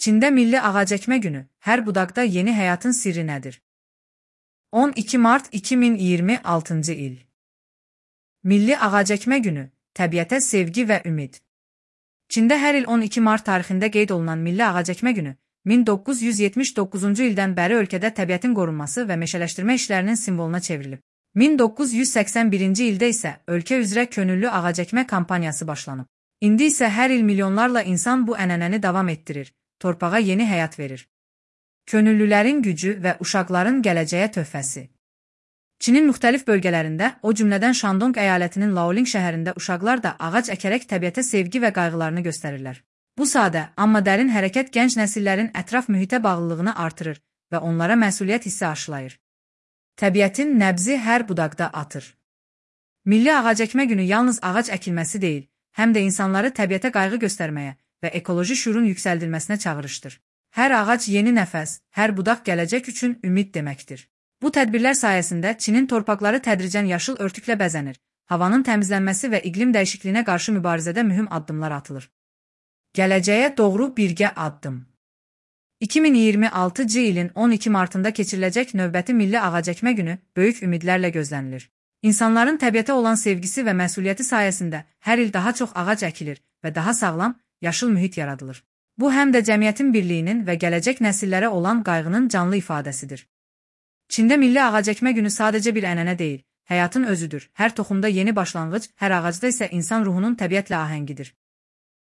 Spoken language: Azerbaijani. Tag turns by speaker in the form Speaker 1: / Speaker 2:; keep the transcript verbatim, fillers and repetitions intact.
Speaker 1: Çində Milli Ağac Əkmə Günü, hər budaqda yeni həyatın sirri nədir? on iki mart iki min iyirmi altıncı il. Milli Ağac Əkmə Günü, təbiətə sevgi və ümid. Çində hər il on iki mart tarixində qeyd olunan Milli Ağac Əkmə Günü, min doqquz yüz yetmiş doqquzuncu ildən bəri ölkədə təbiətin qorunması və meşələşdirmə işlərinin simvoluna çevrilib. min doqquz yüz səksən birinci ildə isə ölkə üzrə könüllü ağac əkmə kampaniyası başlanıb. İndi isə hər il milyonlarla insan bu ənənəni davam etdirir, torpağa yeni həyat verir. Könüllülərin gücü və uşaqların gələcəyə töhfəsi. Çinin müxtəlif bölgələrində, o cümlədən Şandong əyalətinin Laoling şəhərində uşaqlar da ağac əkərək təbiətə sevgi və qayğılarını göstərirlər. Bu sadə, amma dərin hərəkət gənc nəsillərin ətraf mühitə bağlılığını artırır və onlara məsuliyyət hissi aşılayır. Təbiətin nəbzi hər budaqda atır. Milli Ağac Əkmə Günü yalnız ağac əkilməsi deyil, həm də insanları təbiətə qayğı göstərməyə və ekoloji şüurun yüksəldilməsinə çağırışdır. Hər ağac yeni nəfəs, hər budaq gələcək üçün ümid deməkdir. Bu tədbirlər sayəsində Çinin torpaqları tədricən yaşıl örtüklə bəzənir, havanın təmizlənməsi və iqlim dəyişikliyinə qarşı mübarizədə mühüm addımlar atılır. Gələcəyə doğru birgə addım. iki min iyirmi altıncı ilin on iki martında keçiriləcək növbəti Milli Ağac Əkmə Günü böyük ümidlərlə gözlənilir. İnsanların təbiətə olan sevgisi və məsuliyyəti sayəsində hər il daha çox ağac əkilir və daha sağlam, yaşıl mühit yaradılır. Bu həm də cəmiyyətin birliyinin və gələcək nəsillərə olan qayğının canlı ifadəsidir. Çində Milli Ağac Əkmə Günü sadəcə bir ənənə deyil, həyatın özüdür. Hər toxumda yeni başlanğıc, hər ağacda isə insan ruhunun təbiətlə ahəngidir.